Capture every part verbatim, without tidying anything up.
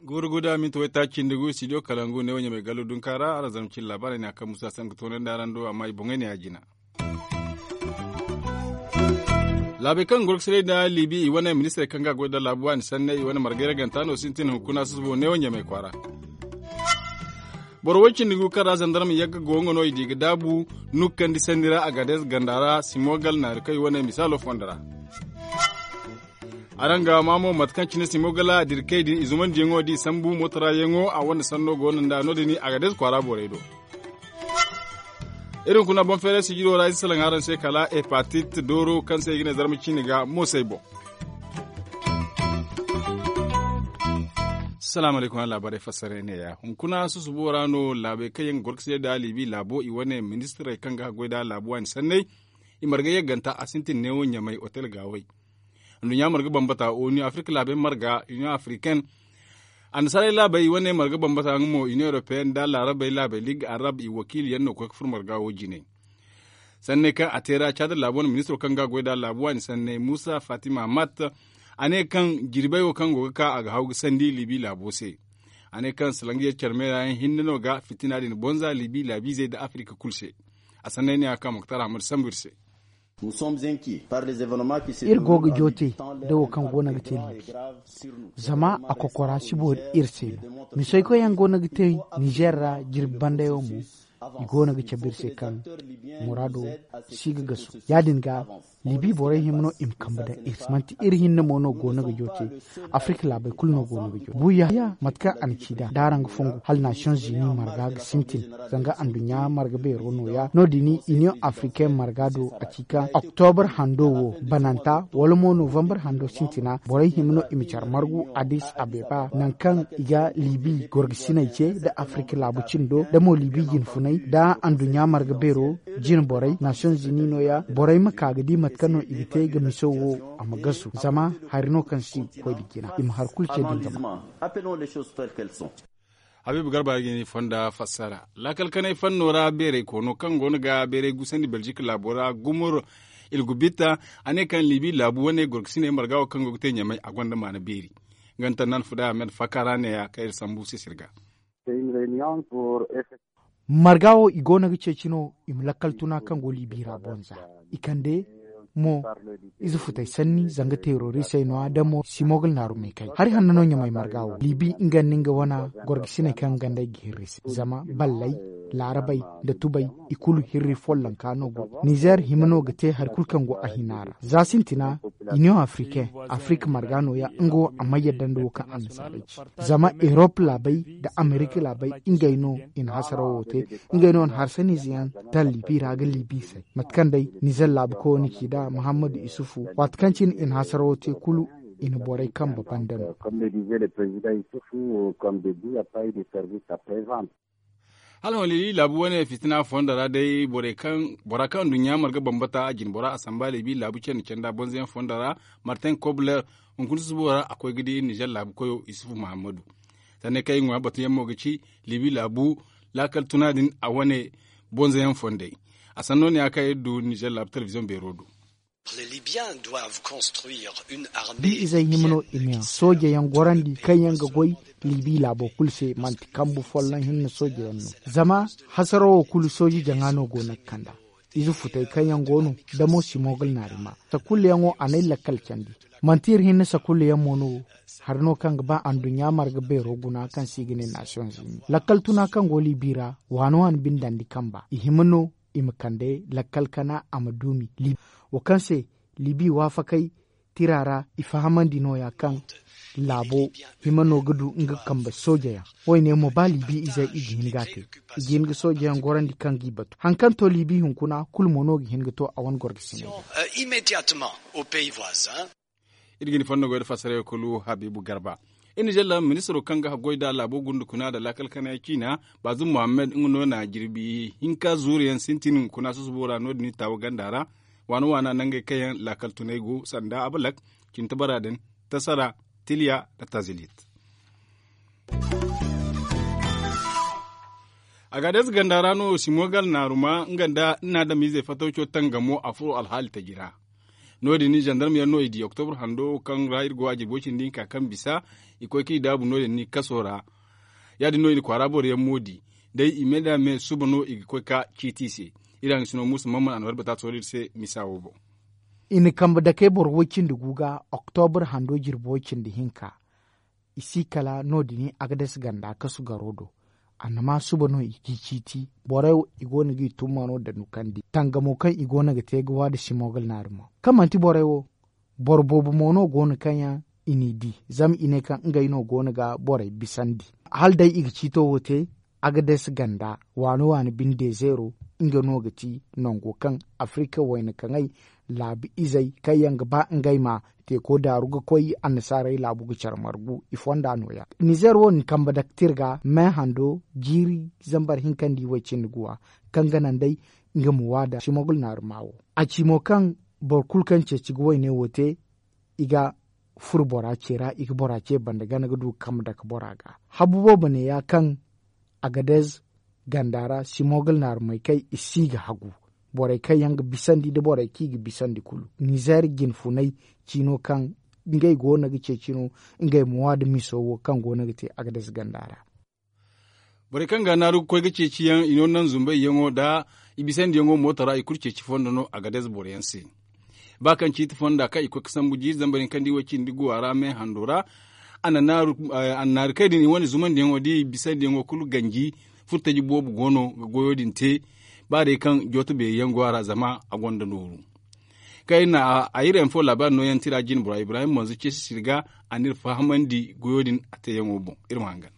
Guuru guda minti waytaaci cindi gu studio kalangu ne wo ɲamay gallo dunka ra araŋ zarma cine laabaarey ne a kaŋ musa sanka toonandi araŋ do amma i boŋey ne ya jina. Laabey kaŋ ga gorkasinay nda liibi i wane ministirey kaŋ ga a goy nda laabu waani sanney i wane margay raganta no sintin hunkuna susubo neewo ɲamay kwaara. Boro way cindi gu kaŋ ra zandarma yagga go nga no i di ga daabu nukkandi sanni ra a ga dees ganda ra simogal naari kaŋ i wane misaalo fondo ra. Araŋ ga maa mo mate kaŋ cine simogal a dira kay din i zumandiyaŋo da i sambu mooto ra yaŋo a wane sanno go no nda no- din a ga dees kwaara borey do. Iri hunkuna boŋ feeray sijiro ra ize salaŋ araŋ se kala hepatit dooro kaŋ se i ga ne zarma ciine ga moosey boŋ. Salaamu alaykum araŋ laabaarey fassara ne ya hunkuna susubo ra no laabey kaŋ yaŋ ga gorkasiyey nda liibi laabo i wane ministirey kaŋ ga haggoy nda laabu waani sanney. I marga yagganta a sintin neewo ɲamay otel gaawey. Nduɲɲa marga bambata onu afirka laabey marga union africaine. Annasaarey laabey wane marga bambata nga mo union européenne nda laarabey laabey liig arab i wakiili yaŋ no ga koy ga furo marga wo jine. Sanney kaŋ a te ra caada laabo wane ministiro kaŋ ga a goy nda laabu waani sanney muusa fatima matt. A ne kaŋ jirbey wo kaŋ go ga ka a ga haw ga sandi liibi laabo se. A ne kaŋ salangiyaŋ care meera yaŋ hinne no ga fitina din bonza liibi laabiizey nda afirka kulu se. A sanney ne a ga ka moktar hamad sambu iri se. Iri go ga joote da wo kaŋ go no ga te liibi. Zama a kokora si boori iri se no. Misoykoy yaŋ go no ga te nizer ra jirbi bandayaŋ mo. I go no ga cabe iri se kaŋ muraado si ga gasu ya- din ga. Liibi borey hima no i ma kambe daŋ iri se manti iri hinne mo no go no ga joote. Afirka laabey kulu no go no ga joote buuya mate kaŋ a na ci nd'a da araŋ ga fongu hala nasiyoŋ zini marga ga sintin. Zanga anduɲɲa marga beero nooya no- din union africaine marga do a ci kaŋ oktobr hando wo bananta wala mo novembre hando sintina borey hima no i ma care margu addis abeba nangu kaŋ i ga liibi gorgasiney ce nda afirka laabu cindo nda mo liibi jinfunay nda anduɲɲa marga beero jine borey nasiyoŋ zini nooya borey ma ka ga di mate kaŋ no i ga te ga miso wo a ma gasu zama hari no kaŋ si koy nda jina i ma hari kulu ce din zama. Habiibu garba ga ni fonda fassara laakal kanay fanno ra beeray koono kaŋ go no ga beeray gusandi belzik laabo ra gumur ilgubitta. A ne kaŋ liibi laabu wane gorkasiney marga wo kaŋ go ga te ɲamay a gonda maana beeri. Nga nta nan fuda ahmed fakara ne ya kaŋ iri sambu sisir ga. Marga wo i go no ga ceeci no i ma lakkal tuna kaŋ go liibi ra bonza i kande mo ize futey sanni zanga teerorisey no-ya damo simogal naaru meekay hari hanno no ɲamay marga wo liibi nga nda nga wana gorgasiney kaŋ gandey ga hirri se zama balley laarabey nda tubey i kulu hirri follonka no go nizer hima no ga te hari kulu kaŋ go a hina ra za sintina. Iniyoŋ afriken afirika marga no-ya nga wo a may yadda nda wo kaŋ annasaarey ci zama erop laabey nda amerika laabey ngey no i na hasarawo te. Ngey no na harsaniize yaŋ talli bi ra ga liibi se mate kaŋ day nizer laabu koyo na ci nd'a muhammadu isufu waati kaŋ cine i na hasarawo te kulu i na borey kambe banda no. Hala hon liibi laabu wane fitina fondo ra day bora kaŋ nduɲɲa marga bambata a jine bora a samba liibi laabu candi canda bonzoyaŋ fondo ra martin kobler hunkuna susubo ra a koy ga di nizer laabu koyo isufu muhammadu. Sanney kaŋ i ŋwa batuyaŋ mo ga ci liibi laabu laakal tuna din a wane bonzoyaŋ fondey. A sanno ne ya kaŋ iri du nizer laabu telebiziyoŋ beero do. Bi izey hima no i ma yaŋ sooje yaŋ gorandi kaŋ yaŋ ga goy liibi laabo kulu se manti kambu folloŋ hinne sooje yaŋ no. Zama hasaro wo kulu sooje jaŋa no go no ga kand'a. Ize futey kaŋ yaŋ go no damo simogal naari ma sakulleyaŋo a n'ay lakkal candi. Manti iri hinne sakulleyaŋ mo no hari no kaŋ ga ba anduɲɲa marga beero guna kaŋ se i ga ne nasiyoŋ zini lakkal tuna kaŋ go liibi ra waani waani bindandi kamba i hima no i ma kande lakkal kana a ma duumi liibi. Wo kaŋ se liibi waafakey tira ra i fahamandi nooya kaŋ laabo hima no ga du nga kambe soojeyaŋ. Wo- ne mo ba liibi izey i ga hin ga a te i ga hin ga soojeyaŋ gorandi kaŋ g'i batu hari kaŋ to liibi hunkuna kulu mo no ga hin ga to a wane gorgasiney. Iri ga ni fondo goy nda fassarey kulu habiibu garba. Iri na zella ministiro kaŋ ga haggoy nda laabo gundukuna nda laakal kanay ciina baazum muhammad nga no na jirbi hinka zuuru yaŋ sintin hunkuna susubo ra no- din taawa ganda ra. Waana waana nangey kaŋ yaŋ laakal tunay go sanda abalak cintabara din tasara tiliya nda tazilit. Agades ganda ra no simogal naaruma nga nda nna adamiizey fatawco tangamo a furo alhaali taji ra. No- din zandarma yaŋ no i di oktobur hando kaŋ ra iri go a jirbo cindi hinka kaŋ bisa i koy kaŋ i daabu no- din ni kaso ra. Ya- din no i na kwaara boro yaŋ mo di. Day i me nda me suba no i ga koy ka ciiti i se. Iri hangasino muusa mamman a na warbata tooro iri se misa wo boŋ. I na kambe dakey boro woy cindi gu ga oktobur hando jirbo woy cindi hinka. I si kala no- din agades ganda kasu garo do. Annama suba no i g'i ciiti. Borey wo i go no g'i tumma no da nukandi tangamo kaŋ i go no ga te ga waada simogal naari mo kaŋ manti borey wo. Boro boobo mo no go no kaŋ yaŋ i n'i di zama i ne kaŋ ngey no go no ga borey bisandi. Hala day i ga ciito wo te. Agades ganda waano waani binde zeero. Nga no ga ti nango kaŋ afrika wayna kaŋey laabu izey kaŋ yaŋ ga ba ngey ma teeko daaru ga koy annasaarey laabu ga care margu i fonda nooya. Nizeer wo- din kambe daktir ga me hando jiiri zambar hinkandi way cindi guwa kaŋ ga naŋ day nga ma waada simogul naaruma wo. A ci mo kaŋ boro kulu kaŋ ceeci ga wayne wo te i ga furo bora ce ra i ga bora ce banda gana ga du ga kambe dake bora ga. Habu boobo ne ya kaŋ agadez ganda ra simogul naarumey kaŋ i si ga hagu borey kaŋ yaŋ ga bisandi nda borey kaŋ i ga bisandi kulu nizeer jinfunay ciino kaŋ ngey go no ga ceeci no. Ngey ma wa nda miso wo kaŋ go no ga te agadez ganda ra. Borey kaŋ ga naaru ga koy ga ceeci yaŋ i no naŋ zumbay yaŋo nda i bisandi yaŋo mooto ra i kulu ceeci fondo no agadez boro yaŋ se. Ba kaŋ ciiti fonda kaŋ i koy ga sambu jiiri zambar hinka nda i way cindi guwa ra me hando ra. A na naaru kay din i wane zumandi yaŋo da i bisandi yaŋo kulu ganji. Furtaji boobo go no ga goyo din te. Ba day kaŋ jooto beeri yaŋ go a ra zama a gonda nooru. Kaŋ iri na a iri info laabaari nooyaŋ tira jine bora ibrahim manzo ceesi sirga a n'iri fahamandi goyo din a teeyaŋo boŋ. Iri ma hangan.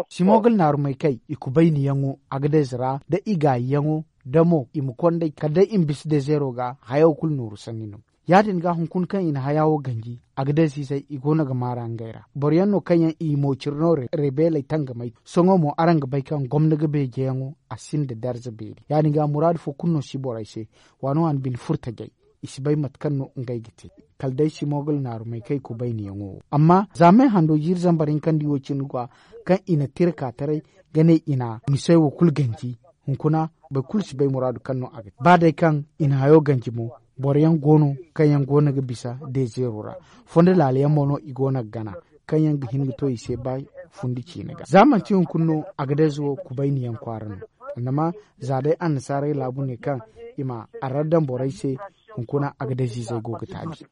Simogul naarumey kay i kubayni yaŋo agadez ra da i gaayi yaŋo da mo i ma konday kala day i ma bisa dezeero ga hayaw kulu nooru sanni no. Ya- din ga hunkuna kaŋ i na haya wo ganji agadez izey i go no ga maara ngey ra boro yaŋ no kaŋ yaŋ i mo cire no rebeeley tangamay. Sohõ mo araŋ ga bay kaŋ gomna ga beejeyaŋo a sinda darza beeri ya- din ga muraadu fo kulu no si borey se. Waano waani bine furtajey i si bay mate kaŋ no ngey ga te kala day simogul naarumey kaŋ i kubayniyaŋo wo amma za me hando jiiri zambar hinkandi wo cindi ga kaŋ i na tira ka taray ga ne i na misey wo kulu ganji. Hunkuna boro kulu si bay muraadu kaŋ no a ga te ba day kaŋ i na hayo ganji mo boro yaŋ go no kaŋ yaŋ go no ga bisa dezeero ra. Fondo laala yaŋ mo no i go no ga gana kaŋ yaŋ ga hin ga to i se ba fundi ciine ga za manti hunkuna no agadez wo kubayni yaŋ kwaara no. Annama za day annasaarey laabu ne kaŋ i ma arraddan borey se hunkuna agadez izey go ga taabi.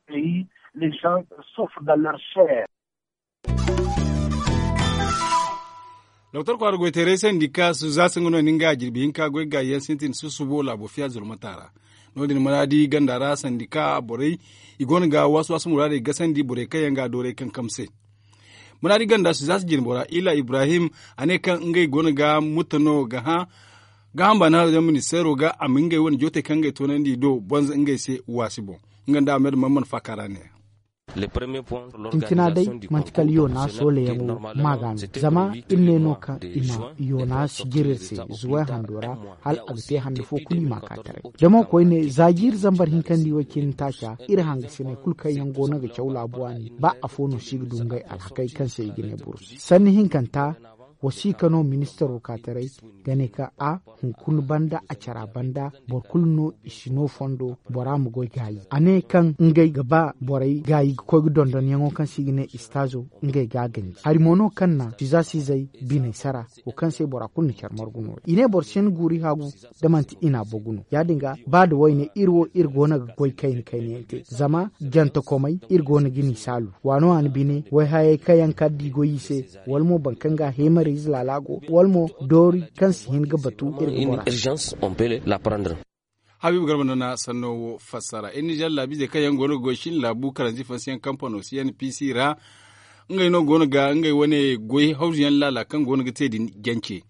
Doktor kwaara goyteeray sandi ka su za si nga no ni nga a jirbi hinka goy gaayi yaŋ sintin susubo laabo fiya zurmata ra. No- din mana di ganda ra sandi ka borey i go no ga waasu waasu muraadey gasandi borey kaŋ yaŋ ga a dooray kankam se. Mana di ganda su za si jirbi ra ila ibrahim a ne kaŋ ngey go no ga mutta no ga hã ga hamba na haro yaŋ ministeero ga a ma ngey wane jootey kaŋ ngey toonandi i do bonza ngey se waasi boŋ. Nga nda ahmed mamman faaka ra ne ya. Sintina day manti kala yoona sooleyaŋo ma ga no zama iri ne no kaŋ i ma yoona sijir iri se zuway hando ra hala a ga te hande fo kulu i ma ka taray. Da mo koyne za jiiri zambar hinkandi way cindi taaca iri hangasiney kulu kaŋ yaŋ go no ga caw laabu waani ba afo no si ga du ngey alhakey kaŋ se i ga ne burus sanni hinkanta. Wasiika no ministaro ka taray ga ne kaŋ a hunkuna banda a cara banda boro kulu no i si no fondo bora ma goy gaayi a ne kaŋ ngey ga ba borey gaayi ga koy ga dondonyaŋo kaŋ se i ga ne istaazo ngey ga a ganji hari mo no kaŋ na siza sizey biney sara wo kaŋ se bora kulu na care margu no i ne boro si hin guuri haagu da manti i na a bogu no ya- din ga ba nda wayne iri wo iri go no ga goy kayna kayna yaŋ te zama jantakomey iri go no ga ni saalu waano waani bine wayhayey kaŋ yaŋ ka di goy i se wala mo boro kaŋ ga a heemariize laala go wala mo doori kaŋ si hin ga batu iri ga bora. Habiibu garba no na sanno wo fassara iri nizer laabiizey kaŋ yaŋ go no ga goy shin laabu karanzi fansiyaŋ kampano si n p c ra. Ngey no go no ga ngey wane goy hawzu yaŋ laala kaŋ go no ga te din jance.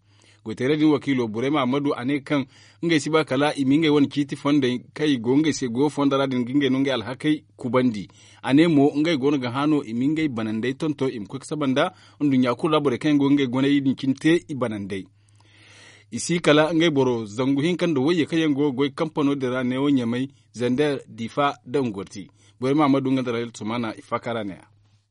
Goyteerey din wakiilo burema ammadu a ne kaŋ ngey si ba kala i ma ngey wane ciiti fondey kaŋ i go ngey se goyo fondo ra din ga ngey no ngey alhakey kubandi. A ne mo ngey go no ga hã no i ma ngey banandey tonton i ma koy ga saba nda nduɲɲa kulu ra borey kaŋ yaŋ go ga ngey goney din cine te i banandey. I si kala ngey boro zangu hinka nda wayye kaŋ yaŋ go ga goy kampano din ra neewo ɲamay, zander, difa, nda ngorti. Borey ma ma du nga nda rayal sumana i faaka ra ne-ya.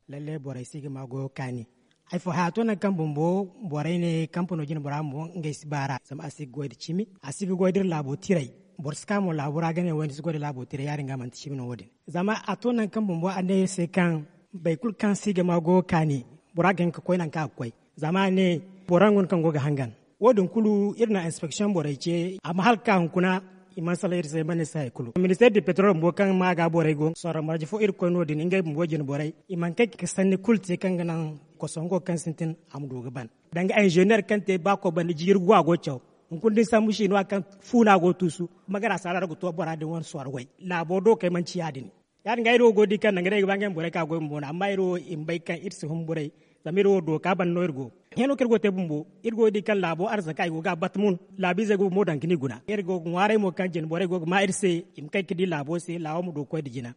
Lalle borey si ga ma goyo kaani. Ay fo haya to nangu kaŋ bumbo borey ne kampano jine bora bumbo ngey si baara zama a si ga goy nda cimi, a si ga goy nda iri laabo tiray. Boro si ka mo laabo ra ga ne wo- din si goy nda laabo tiray ya- din ga manti cimi no wo- din. Zama a to nangu kaŋ bumbo a ne iri se kaŋ boro kulu kaŋ si ga ma go ga kaani, bora ga hin ga koy nangu kaŋ a ga koy. Zama a ne boro yaŋ go no kaŋ go ga hangan. Wo- din kulu iri na inspeksiyoŋ borey ce amma hala ga ka hunkuna, i mana salaŋ iri se i mana iri se hari kulu. Ministeer di petrol bumbo kaŋ ma ga borey go sorro marje fo iri ga koy no- din ngey bumbo jine borey i mana kay ga sanni kulu te kaŋ ga naŋ kosongo kaŋ sintin a ma du ga ban. Danga inzeneer kaŋ te ba koy banda jiiri gu a go ga caw. Hunkuna da ni sambu si no a kaŋ fu no a go ga tuusu. Magara saara ra ga to bora din wane sorro way laabo do kay manci ya- din. Ya- din ga iri wo go ga di kaŋ nangu day ay ga ba ngey ma borey ka goy bumbo no amma iri wo i ma bay kaŋ iri si humburay. Zama iri wo dooka banda no iri go. Hino kaŋ iri go ga te bumbo iri go ga di kaŋ laabo arzaka i go ga a bata mun. Laabiizey go ga mo daŋ ga ni guna iri go ga ŋwaaray mo kaŋ jine borey go ga ma iri se i ma kay ga di laabo se laawo ma du ga koy nda jina.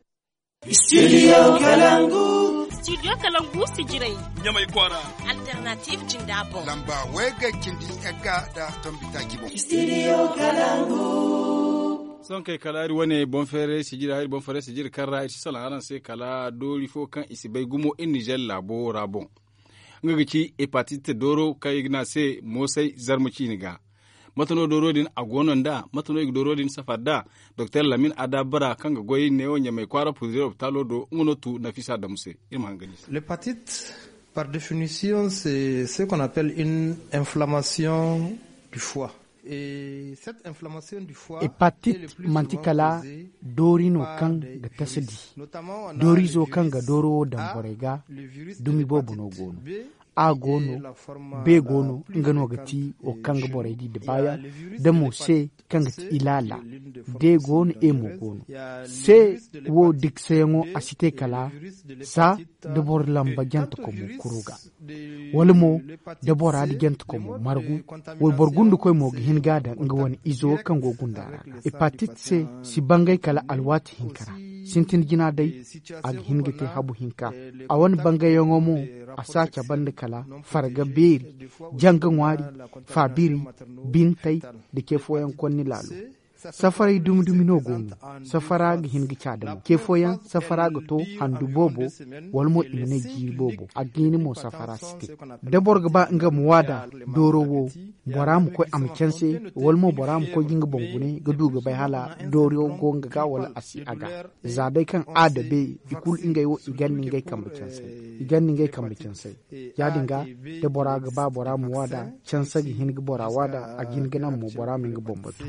Studio kalangu. Studio kalangu si jiray. Ɲamay kwaara. Alternative jinda boŋ. Lamba way ga cindi egga nda tombi taaci boŋ. Studio kalangu. Sohõ kay kala iri wane boŋ feeray sijiri hari boŋ feeray sijiri kaŋ ra iri si salaŋ araŋ se kala doori fo kaŋ i si bay gumo iri nizer laabo ra boŋ. Nga ga ci hepatit dooro kaŋ i ga ne a se moosay zarma ciine ga. Mate no dooro din a go no nd'a mate no i ga dooro din safar nd'a? Doktor lamin adabara kaŋ ga goy neewo ɲamay kwaara purozire lopitaalo do nga no tu nafisa damu se. Iri ma hangan i se. L'hepatit par définition c'est ce qu'on appelle une inflammation du foie. Hepatit manti kala doori no kaŋ ga tasa di. Dooriizo kaŋ ga dooro wo daŋ borey ga dumi boobo no go no. A go no, be go no nga no ga ti wo kaŋ ga borey di da baayaŋ. Da mo se kaŋ ga ti ilaala. De go no e mo go no. Se wo diksayaŋo a si te kala za da boro lamba jante komo kuru ga. Wala mo da bora da jante komo margu. Wayboro gundukoy mo ga hin ga a daŋ nga wane izo kaŋ go gunda ra ga hepatit se si bangay kala alwaati hinka ra. Sintin jina day a ga hin ga te habu hinka. A wane bangayyaŋo mo a si a cabe nda kala farga beeri, janga ŋwaari, faabiri, bintay, nda ce fooyaŋ konni laalo. Safaray dumi dumi no go no. Safara ga hin ga caada mo ce fooyaŋ safara ga to handu boobo. Wala mo i ma ne jiiri boobo a ga hin mo safara si te. Da boro ga ba nga ma waada dooro wo, bora ma koy a ma canse. Wala mo bora ma koy ga nga boŋ gune ga du ga bay hala dooro go nga ga wala a si a ga. Za day kaŋ a dabe i kulu ngey wo i ganda ngey kambe cansay. I ganda ngey kambe cansay. Ya- din ga da bora ga ba bora ma waada canse ga hin ga bora waada a ga hin ga naŋ mo bora ma nga boŋ batu.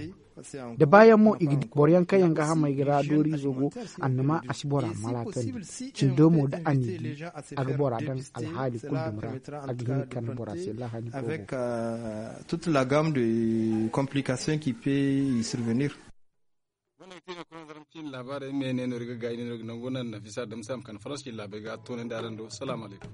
Da baayaŋ mo i ga di boro yaŋ kaŋ yaŋ ga hamay ga ra dooriizo go. Annama a si bora malatandi cindo mo da a n'i di a ga bora daŋ alhaali kulu dumi ra. A ga hin ga kande bora se lahani boobo. Toute la gamme de complication qui peut y survenir. Gonda ga te no kuna zaram ciine laabaarey me ne no iri ga gaayi ne no iri ga nango naŋ nafisa damsa ma kande farans ciine laabey ga toonandi araŋ do salaamu alaykum.